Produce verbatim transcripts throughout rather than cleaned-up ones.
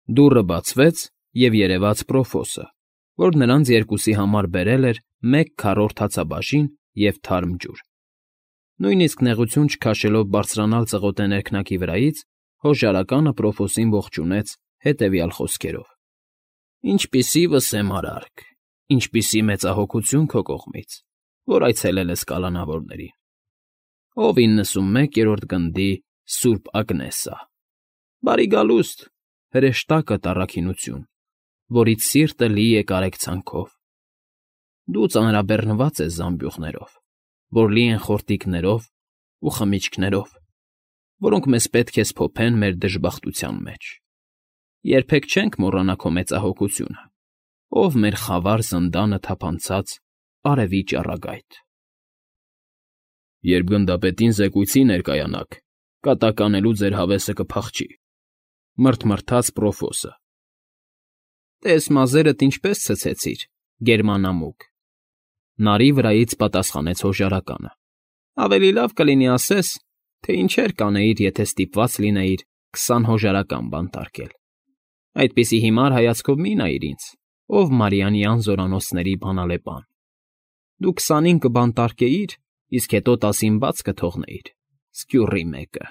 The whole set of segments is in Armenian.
Դուռը բացվեց, և երևաց Պրոֆոսը, որ նրանց երկուսի համար բերել էր մեկ քառորդ հացաբաժին և թարմ ջուր։ Նույնիսկ նեղություն չքաշելով բարձրանալ ծղոտե ներքնակի վրայից, հոժարականը Պրոֆոսին ողջունեց հետևյալ խոսքերով. «Ինչպիսի վսեմ արարք, ինչպիսի մեծահոգություն քո կողմից, որ այցելել ես կալանավորներին, ով իննսունմեկերորդ գնդի սուրբ Ագնեսա, բարի գալուստ, հրեշտակդ առաքինություն, որից սիրտը լի է կարեկցանքով։ Դու ծանրաբեռնված ես զամբյուղներով, որ լի են խորտիկներով ու խմիչքներով, որոնք մեզ պետք է սփոփեն մեր դժբախտության մեջ։ Երբեք չենք մոռանա քո մեծահոգությունը, ով մեր խավար զնդանը թափանցած արևի ճառագայթ»։ «Երբ գնդապետին զեկույցի ներկայանաք, կատականելու ձեր հավեսը կփախչի», մռթմռթաց Պրոֆոսը։ «Տես մազերդ ինչպես ցցեցիր, գերմանամուկ», նարի վրայից պատասխանեց հոժարականը։ «Ավելի լավ կլինի ասես, թե ինչեր կանեիր, եթե ստիպված լինեիր քսան հոժարական բանտարկել։ Այդպիսի հիմար հայացքով մի՛ նայիր ինձ, ով Մարիանյան զորանոցների բանալեպան։ Դու քսանին կբանտարկեիր, իսկ հետո տասին բաց կթողնեիր, սկյուռի մեկը։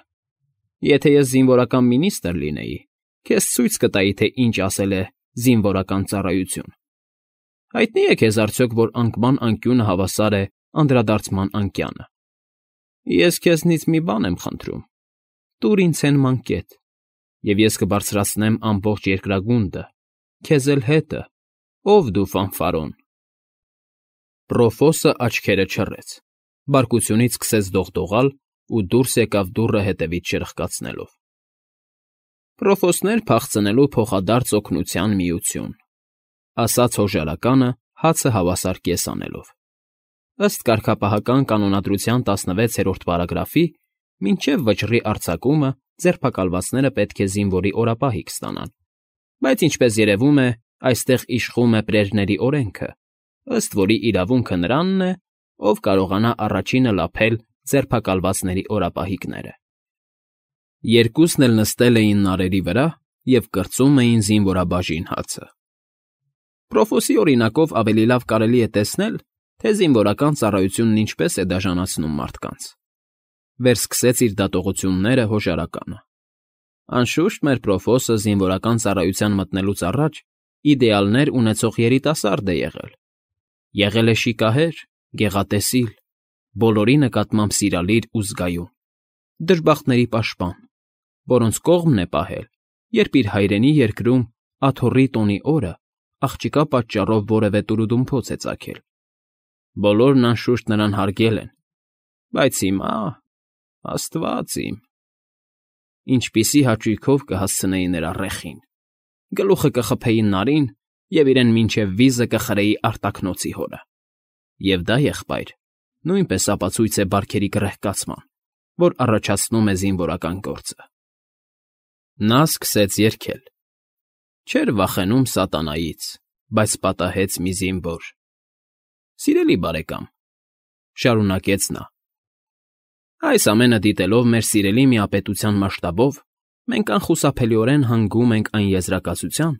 Եթե ես զինվորական մինիստր լինեի, քեզ ցույց կտայի, թե ինչ ասել է զինվորական ծառայություն։ Հայտնի՞ է քեզ արդյոք, որ անկման անկյունը հավասար է անդրադարձման անկյանը։ Ես քեզնից մի բան եմ խնդրում. տուր ինձ հեն մանկետ, և ես կբարձրացնեմ ամբողջ երկրագունդը, քեզ էլ հետը, ով դու ֆանֆարոն»։ Պրոֆոսը աչքերը չռեց, բարկությունից սկսեց դողդողալ ու դուրս եկավ դուռը հետևից շրխկացնելով։ «Պրոֆոսներ փախցնելու փոխադարձ օգնության միություն», ասաց հոժարականը հացը հավասար կես անելով։ «Ըստ կարգապահական կանոնադրության տասնվեցերորդ պարագրաֆի, մինչև վճռի արձակումը ձերբակալվածները պետք է զինվորի օրապահիկ ստանան, բայց, ինչպես երևում է, այստեղ իշխում է պրերների օրենքը, ըստ որի իրավունքը նրանն է, ով կարողանա առաջինը լափել ձերբակալվածների օրապահիկները»։ Երկուսն էլ նստել էին նարերի վրա և կրծում էին զինվորաբաժին հացը։ Պրոֆոսի օրինակով ավելի լավ կարելի է տեսնել, թե զինվորական ծառայությունն ինչպես է դաժանացնում մարդկանց։ Վերսկսեց իր դատողությունները հոժարականը։ Անշուշտ, մեր Պրոֆոսը զինվորական ծառայության մտնելուց առաջ իդեալներ ունեցող երիտասարդ է եղել։ Եղել է շիկահեր, գեղատեսիլ, բոլորի նկատմամբ սիրալիր ու զգայուն, դժբախտների պաշտպան, որոնց կողմն է պահել, երբ իր հայրենի երկրում աթոռի տոնի օրը աղջկա պատճառով որևէ տուրուդումփոց է ծագել։ Բոլորն, անշուշտ, նրան հարգել են, բայց հիմա… Աստված իմ… Ինչպիսի հաճույքով կհասցնեի նրա ռեխին, գլուխը կխփեի նարին և իրեն մինչև վիզը կխրեի արտաքնոցի հորը։ Եվ դա, եղբայր, նույնպես ապացույց է բարքերի կռեհկացման, որ առաջացնում է զինվորական գործը։ Նա սկսեց երգել. «Չէր վախենում սատանայից, բայց պատահեց մի զինվոր»։ Սիրելի բարեկամ, շարունակեց նա, այս ամենը դիտելով մեր սիրելի միապետության մասշտաբով, մենք անխուսափելիորեն հանգում ենք այն եզրակացության,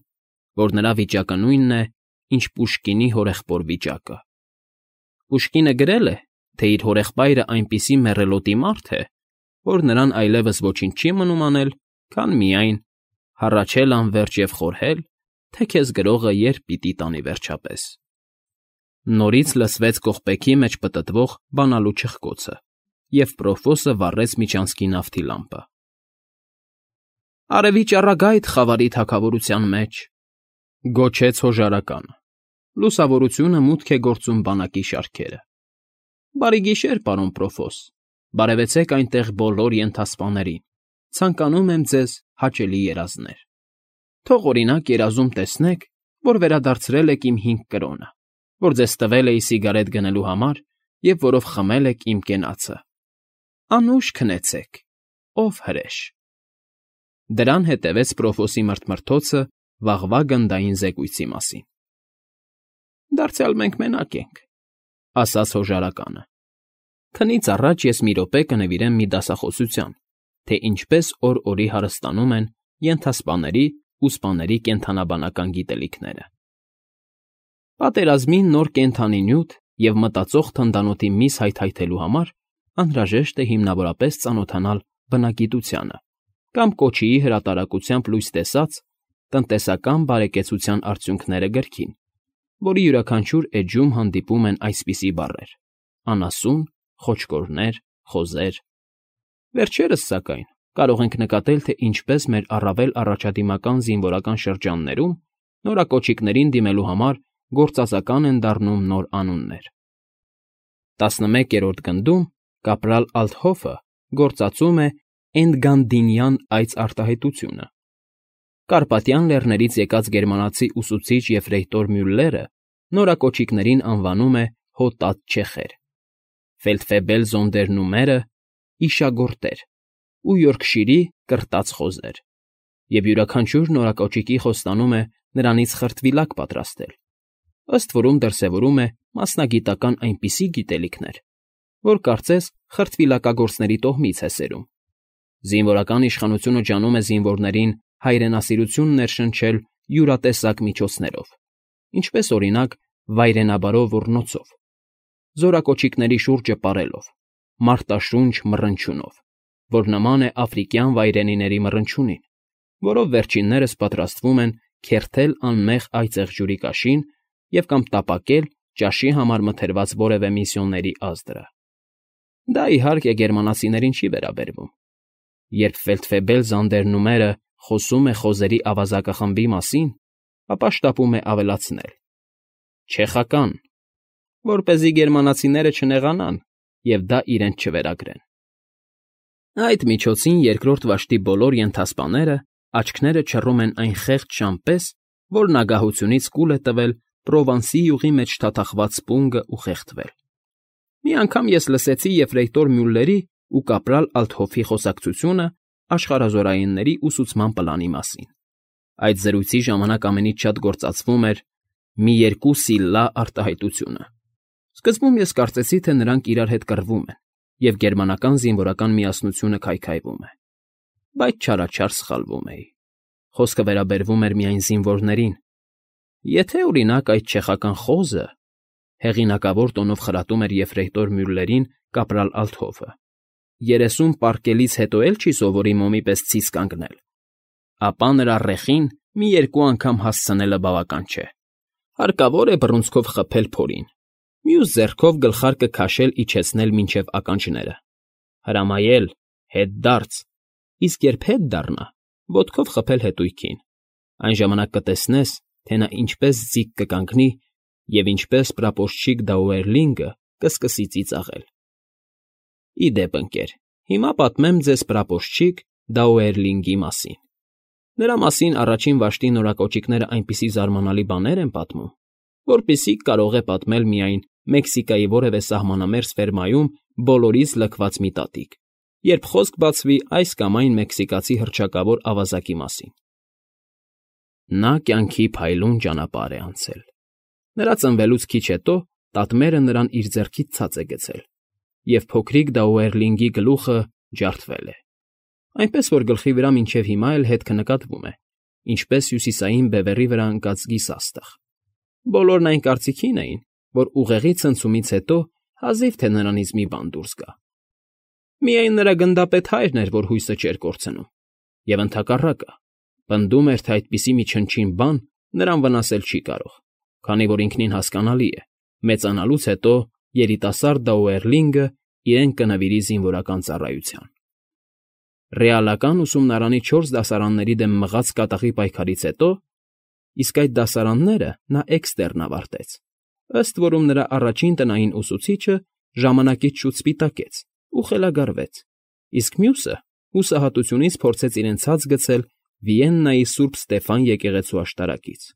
որ նրա վիճակը նույնն է, ինչ Պուշկինի հորեղբոր վիճակը։ Պուշկինը գրել է, թե իր հորեղբայրը այնպիսի մեռելոտի մարդ է, որ նրան այլևս ոչինչ չի մնում անել, քան միայն հառաչել անվերջ և խորհել, թե քեզ գրողը երբ պիտի տանի վերջապես։ Նորից լսվեց կողպեքի մեջ պտտվող բանալու չխկոցը, և Պրոֆոսը վառեց միջանցքի նավթի լամպը։ «Արևի ճառագայթ խավարի թագավորության մեջ», գոչեց հոժարականը։ Լուսավորությունը մուտք է գործում բանակի շարքերը։ «Բարի գիշեր, պարոն Պրոֆոս, բարևեցեք այնտեղ բոլոր ենթասպաներին, ցանկանում եմ ձեզ հաճելի երազներ։ Թող, օրինակ, երազում տեսնեք, որ վերադարձրել եք իմ հինգ կրոնը, որ ձեզ տվել էի սիգարետ գնելու համար և որով խմել եք իմ կենացը։ Անուշ քնեցեք, ով հրեշ»։ Դրան հետևեց Պրոֆոսի մռթմռթոցը վաղվա գնդային զեկույցի մասին։ «Դարձյալ մենք մենակ ենք», ասաց հոժարականը։ «Քնից առաջ ես մի րոպե կնվիրեմ մի դասախոսության, թե ինչպես օր֊օրի հարստանում են ենթասպաների ու սպաների կենդանաբանական գիտելիքները։ Պատերազմին նոր կենդանի նյութ և մտածող թնդանոթի միս հայթայթելու համար անհրաժեշտ է հիմնավորապես ծանոթանալ բնագիտությանը կամ կոչիի հրատարակությամբ լույս տեսած «Տնտեսական բարեկեցության արդյունքները» գրքին, որի յուրաքանչյուր էջում հանդիպում են այսպիսի բառեր. անասուն, խոչկորներ, խոզեր։ Վերջերս, սակայն, կարող ենք նկատել, թե ինչպես մեր առավել առաջադիմական զինվորական շրջաններում նորակոչիկներին դիմելու համար գործածական են դառնում նոր անուններ։ տասնմեկերորդ գնդում կապրալ Ալթհոֆը գործածում է Էնդգանդինյան այծ արտահայտությունը։ Կարպատյան լեռներից եկած գերմանացի ուսուցիչ եֆրեյտոր Մյուլլերը նորակոչիկներին անվանում է հոտած֊չեխեր, Ֆելդֆեբել Զոնդերնումերը իշագորտեր ու Յորքշիրի կրտած խոզեր, և յուրաքանչյուր նորակոչիկի խոստանում է նրանից խրտվիլակ պատրաստել, ըստ որում դրսևորում է մասնագիտական այնպիսի գիտելիքներ, որ կարծես խրտվիլակագործների տոհմից է սերում։ Զինվորական իշխանությունը ջանում է զինվորներին հայրենասիրություն ներշնչել յուրատեսակ միջոցներով, ինչպես օրինակ վայրենաբարո ոռնոցով, զորակոչիկների շուրջը պարելով, մարտաշունչ մռնչյունով, որ նման է աֆրիկյան վայրենիների մռնչյունին, որով վերջիններս պատրաստվում են քերթել անմեղ այծեղ ջուրի կաշին և կամ տապակել ճաշի համար մթերված որևէ միսիոների ազդրը։ Դա, իհարկե, գերմանացիներին չի վերաբերվում։ Երբ Ֆելդֆեբել Զանդերնումերը խոսում է խոզերի ավազակախմբի մասին, ապա շտապում է ավելացնել. չեխական, որպեսզի գերմանացիները չնեղանան և դա իրենց չվերագրեն։ Այդ միջոցին երկրորդ վաշտի բոլոր ենթասպաները աչքները չռում են այն խեղճ շան պես, որն ագահությունից կուլ է տվել Պրովանսի յուղի մեջ թաթախված սպունգը ու խեղդվել։ Մի անգամ ես լսեցի եֆրեյտոր Մյուլլերի ու կապրալ Ալթհոֆի խոսակցությունը աշխարհազորայինների ուսուցման պլանի մասին։ Այդ զրույցի ժամանակ ամենից շատ գործածվում էր մի երկու սիլլա արտահայտությունը։ Սկզբում ես կարծեցի, թե նրանք իրար հետ կռվում են, և գերմանական զինվորական միասնությունը քայքայվում է։ Բայց չարաչար սխալվում էի։ Խոսքը վերաբերվում էր միայն զինվորներին։ Եթե, օրինակ, այդ չեխական խոզը… Հեղինակավոր տոնով խրատում էր եֆրեյտոր Մյուլլերին կապրալ Ալթհոֆը, երեսուն պառկելից հետո էլ չի սովորի մոմի պես ցից կանգնել, ապա նրա ռեխին մի երկու անգամ հասցնելը բավական չէ։ Հարկավոր է բռունցքով խփել փորին, մյուս ձեռքով գլխարկը քաշել իջեցնել մինչև ականջները, հրամայել, հետ դարձ, իսկ երբ հետ դառնա, ոտքով խփել հետույքին, այն ժամանակ կտեսնես, թե նա ինչպես ձիգ կկանգնի և ինչպես պրապորչիկ Դաուերլինգը կսկսի ծիծաղել։ Ի դեպ, ընկեր, հիմա պատմեմ ձեզ պրապորչիկ Դաուերլինգի մասին։ Նրա մասին առաջին վաշտի նորակոչիկները այնպիսի զարմանալի բաներ են պատմում, որպիսիք կարող է պատմել միայն Մեքսիկայի որևէ սահմանամերձ ֆերմայում բոլորից լքված մի տատիկ, երբ խոսք բացվի այս կամ այն մեքսիկացի հռչակավոր ավազակի մասին։ Նա կյանքի փայլուն ճանապարհ է անցել։ Նրա ծնվելուց քիչ հետո տատմերը նրան իր ձեռքից ցած է գցել, և փոքրիկ Դաուերլինգի գլուխը ջարդվել է, այնպես որ գլխի վրա մինչև հիմա էլ հետքը նկատվում է, ինչպես հյուսիսային բևեռի վրա ընկած գիսաստղ։ Բոլորն այն կարծիքին էին, որ ուղեղի ցնցումից հետո հազիվ թե նրանից մի բան դուրս գա։ Միայն նրա գնդապետ հայրն էր, որ հույսը չէր կորցնում, և ընդհակառակը, պնդում էր, թե այդպիսի մի չնչին բան նրան վնասել չի կարող, քանի որ ինքնին հասկանալի է, մեծանալուց հետո երիտասարդ Դաուերլինգը իրեն կնվիրի զինվորական ծառայության։ Ռեալական ուսումնարանի չորս դասարանների դեմ մղած կատաղի պայքարից հետո, իսկ այդ դասարանները նա էքստերն ավարտեց, ըստ որում նրա առաջին տնային ուսուցիչը ժամանակից շուտ սպիտակեց ու խելագարվեց, իսկ մյուսը հուսահատությունից փորձեց իրեն ցած գցել Վիեննայի Սուրբ Ստեֆան եկեղեցու աշտարակից։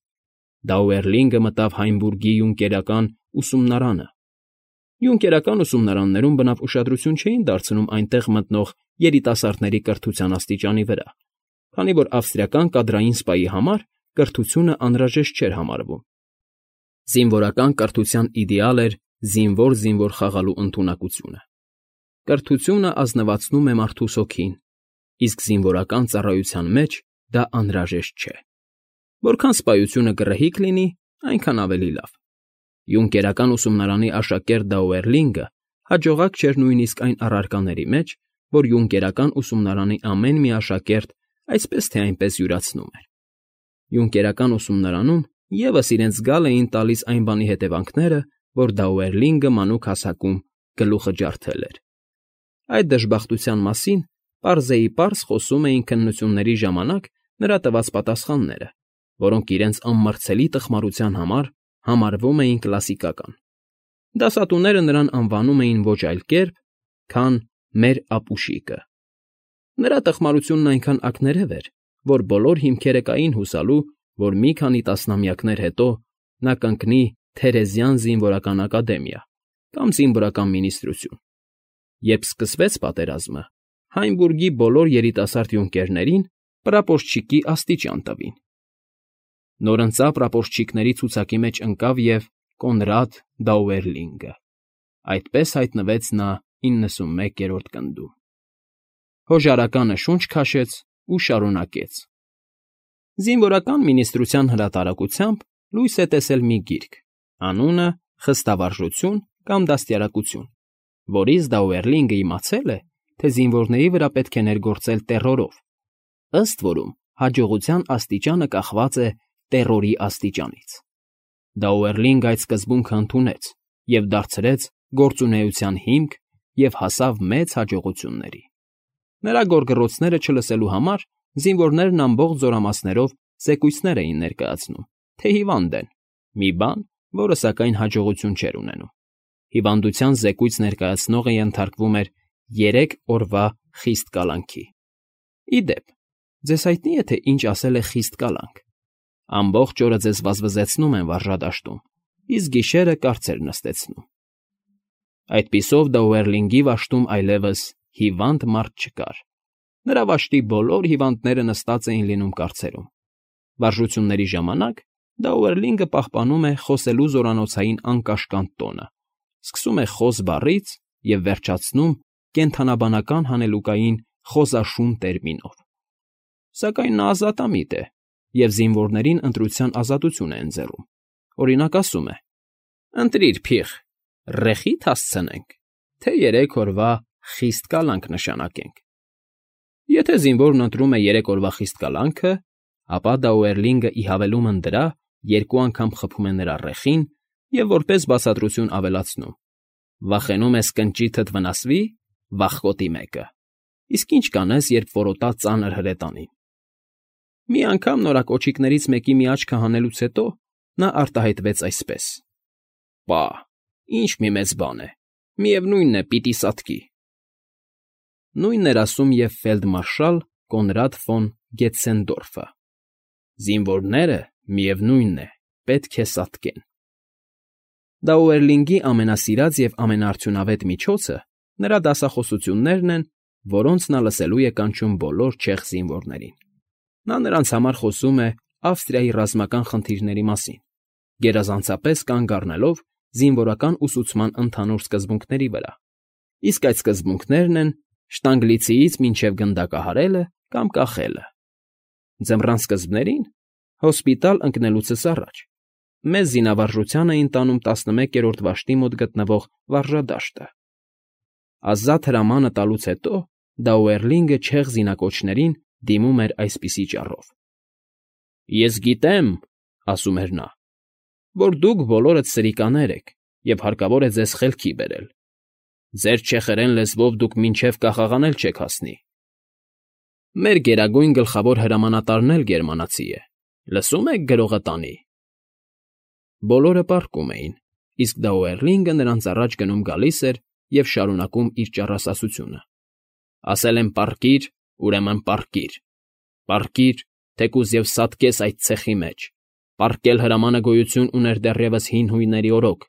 Դաուերլինգը մտավ Հայնբուրգի յունկերական ուսումնարանը։ Յունկերական ուսումնարաններում բնավ ուշադրություն չէին դարձնում այնտեղ մտնող երիտասարդների կրթության աստիճանի վրա, քանի որ ավստրիական կադրային սպայի համար կրթությունը անհրաժեշտ չէր համարվում։ Զինվորական կրթության իդեալ էր զինվոր֊զինվոր խաղալու ընդունակությունը։ Կրթությունը ազնվացնում է մարդուս հոգին, իսկ զինվորական ծառայության մեջ դա անհրաժեշտ չէ։ Որքան սպայությունը գռեհիկ լինի, այնքան ավելի լավ։ Յունկերական ուսումնարանի աշակերտ Դաուերլինգը հաջողակ չէր նույնիսկ այն առարկաների մեջ, որ յունկերական ուսումնարանի ամեն մի աշակերտ այսպես թե այնպես յուրացնում էր։ Յունկերական ուսումնարանում ևս իրենց գալ էին տալիս այն բանի հետևանքները, որ Դաուերլինգը մանուկ հասակում գլուխը ջարդել էր։ Այդ դժբախտության մասին պարզեիպարզ խոսում էին քննությունների ժամանակ նրա տված պատասխանները, որոնք իրենց անմրցելի տխմարության համար համարվում էին կլասիկական։ Դասատուները նրան անվանում էին ոչ այլ կերպ, քան «մեր ապուշիկը»։ Նրա տխմարությունն այնքան ակներև էր, որ բոլոր հիմքերը կային հուսալու, որ մի քանի տասնամյակներ հետո նա կընկնի Թերեզյան զինվորական ակադեմիա կամ զինվորական մինիստրություն։ Երբ սկսվեց պատերազմը, Հայնբուրգի բոլոր երիտասարդ յունկերներին պրապորչիկի աստիճան տվին։ Նորընծա պրապորչիկների ցուցակի մեջ ընկավ և Կոնրադ Դաուերլինգը։ Այդպես հայտնվեց նա իննսունմեկերորդ գնդում։ Հոժարականը շունչ քաշեց ու շարունակեց. Զինվորական մինիստրության հրատարակությամբ լույս է տեսել մի գիրք, անունը «Խստավարժություն» կամ «Դաստիարակություն», որից Դաուերլինգը իմացել է, թե զինվորների վրա պետք է ներգործել տեռորով, ըստ որում հաջողության աստիճանը կախված է տեռորի աստիճանից։ Դաուերլինգը այդ սկզբունքը ընդունեց և դարձրեց գործունեության հիմք և հասավ մեծ հաջողությունների։ Նրա գոռգռոցները չլսելու համար զինվորներն ամբողջ զորամասերով զեկույցներ էին ներկայացնում, թե հիվանդ են, մի բան, որը սակայն հաջողություն չէր ունենում։ Հիվանդության զեկույց ներկայացնողը ենթարկվում էր երեք օրվա խիստ կալանքի։ Ի դեպ, ձեզ հայտնի է, թե ինչ ասել է խիստ կալանք։ Ամբողջ օրը ձեզ վազվզեցնում են վարժադաշտում, իսկ գիշերը կարծեր նստեցնում։ Այդպիսով Դաուերլինգի վաշտում այլևս հիվանդ մարդ չկար։ Նրա վաշտի բոլոր հիվանդները նստած էին լինում կարծերում։ Վարժությունների ժամանակ Դաուերլինգը պահպանում է խոսելու զորանոցային անկաշկանդ տոնը, սկսում է խոզ բառից և վերջացնում կենդանաբանական հանելուկային խոզաշուն տերմինով։ Սակայն նա ազատամիտ է և զինվորներին ընտրության ազատություն է ընձեռում։ Օրինակ ասում է. «Ընտրիր, փիղ, ռեխի՞თ հասցնենք, թե երեք օրվա խիստ կալանք նշանակենք»։ Եթե զինվորն ընտրում է երեք օրվա խիստ կալանքը, ապա Դաուերլինգը ի հավելումն դրա երկու անգամ խփում է նրա ռեխին և որպես բացատրություն ավելացնում. «Վախենում ես կնճիթդ վնասվի, վախկոտի մեկը, իսկ ինչ կանես, երբ որոտա ծանր հրետանին»։ Մի անգամ նորակոչիկներից մեկի մի աչքը հանելուց հետո նա արտահայտվեց այսպես. «Պա, ինչ մի մեծ բան է, միևնույն է, պիտի սատկի»։ Նույնն էր ասում և ֆելդմարշալ Կոնրադ ֆոն Գետցենդորֆը. «Զինվորները, միևնույն է, պետք է սատկեն»։ Դաուերլինգի ամենասիրած և ամենաարդյունավետ միջոցը նրա դասախոսություններն են, որոնց նա լսելու է կանչում բոլոր չեխ զինվորներին։ Նա նրանց համար խոսում է Ավստրիայի ռազմական խնդիրների մասին, գերազանցապես կանգ առնելով զինվորական ուսուցման ընդհանուր սկզբունքների վրա, իսկ այդ սկզբունքներն են շտանգլիցիից մինչև գնդակահարելը կամ կախելը։ Ձմռան սկզբներին, հոսպիտալ ընկնելուցս առաջ, մեզ զինավարժության էին տանում տասնմեկերորդ վաշտի մոտ գտնվող վարժադաշտը։ Ազատ հրամանը տալուց հետո Դաուերլինգը չեխ զինակոչներին դիմում էր այսպիսի ճառով. «Ես գիտեմ, — ասում էր նա, — որ դուք բոլորդ սրիկաներ եք և հարկավոր է ձեզ խելքի բերել։ Ձեր չեխերեն լեզվով դուք մինչև կախաղանել չեք հասնի։ Մեր գերագույն գլխավոր հրամանատարն էլ գերմանացի է, լսում եք գրողը տանի»։ Բոլորը պառկում էին, իսկ Դաուերլինգը նրանց առաջ գնում֊գալիս էր և շարունակում իր ճառասասությունը. «Ասել եմ պառկիր, ուրեմն պառկիր, պառկիր, թեկուզ և սատկես այդ ցեխի մեջ։ Պառկել հրամանը գոյություն ուներ դեռևս հին հույների օրոք,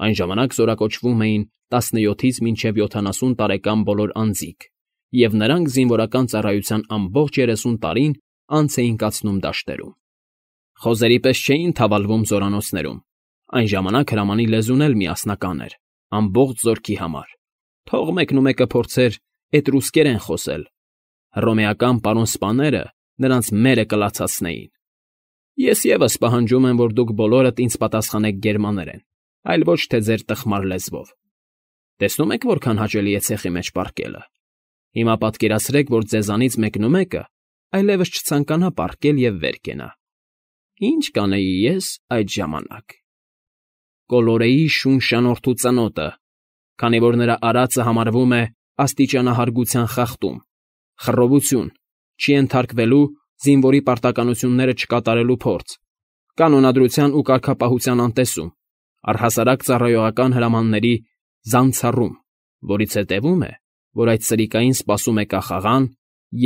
այն ժամանակ զորակոչվում էին տասնյոթից մինչև յոթանասուն տարեկան բոլոր անձիկ, և նրանք զինվորական ծառայության ամբողջ երեսուն տարին անց էին կացնում դաշտերում։ Խոզերի պես չէին թավալվում զորանոցներում, այն ժամանակ հրամանի լեզուն էլ միասնական էր, ամբողջ զորքի համար։ Թող մեկնումեկը փորձեր Ես ևս պահանջում եմ, որ դուք բոլորդ ինձ պատասխանեք գերմաներեն, այլ ոչ թե ձեր տխմար լեզվով. տեսնում եք որքան հաճելի է ցեխի մեջ պառկելը. հիմա պատկերացրեք, որ ձեզանից մեկնումեկը այլևս չցանկանա պառկել և վեր կենա. ի՞նչ կանեի ես այդ ժամանակ… Կոլորեի շուն֊շանոթու ծնոտը, քանի որ նրա արածը համարվում է աստիճանահարգության խախտում, խռովություն, չի ենթարկվելու, զինվորի պարտականությունները չկատարելու փորձ, կանոնադրության ու կարգապահության անտեսում, առհասարակ ծառայողական հրամանների զանցառում, որից հետևում է, որ այդ սրիկային սպասում է կախաղան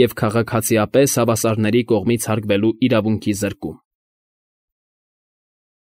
և քաղաքացիապես հավասարների կողմից հարգվելու իրավունքի զրկում։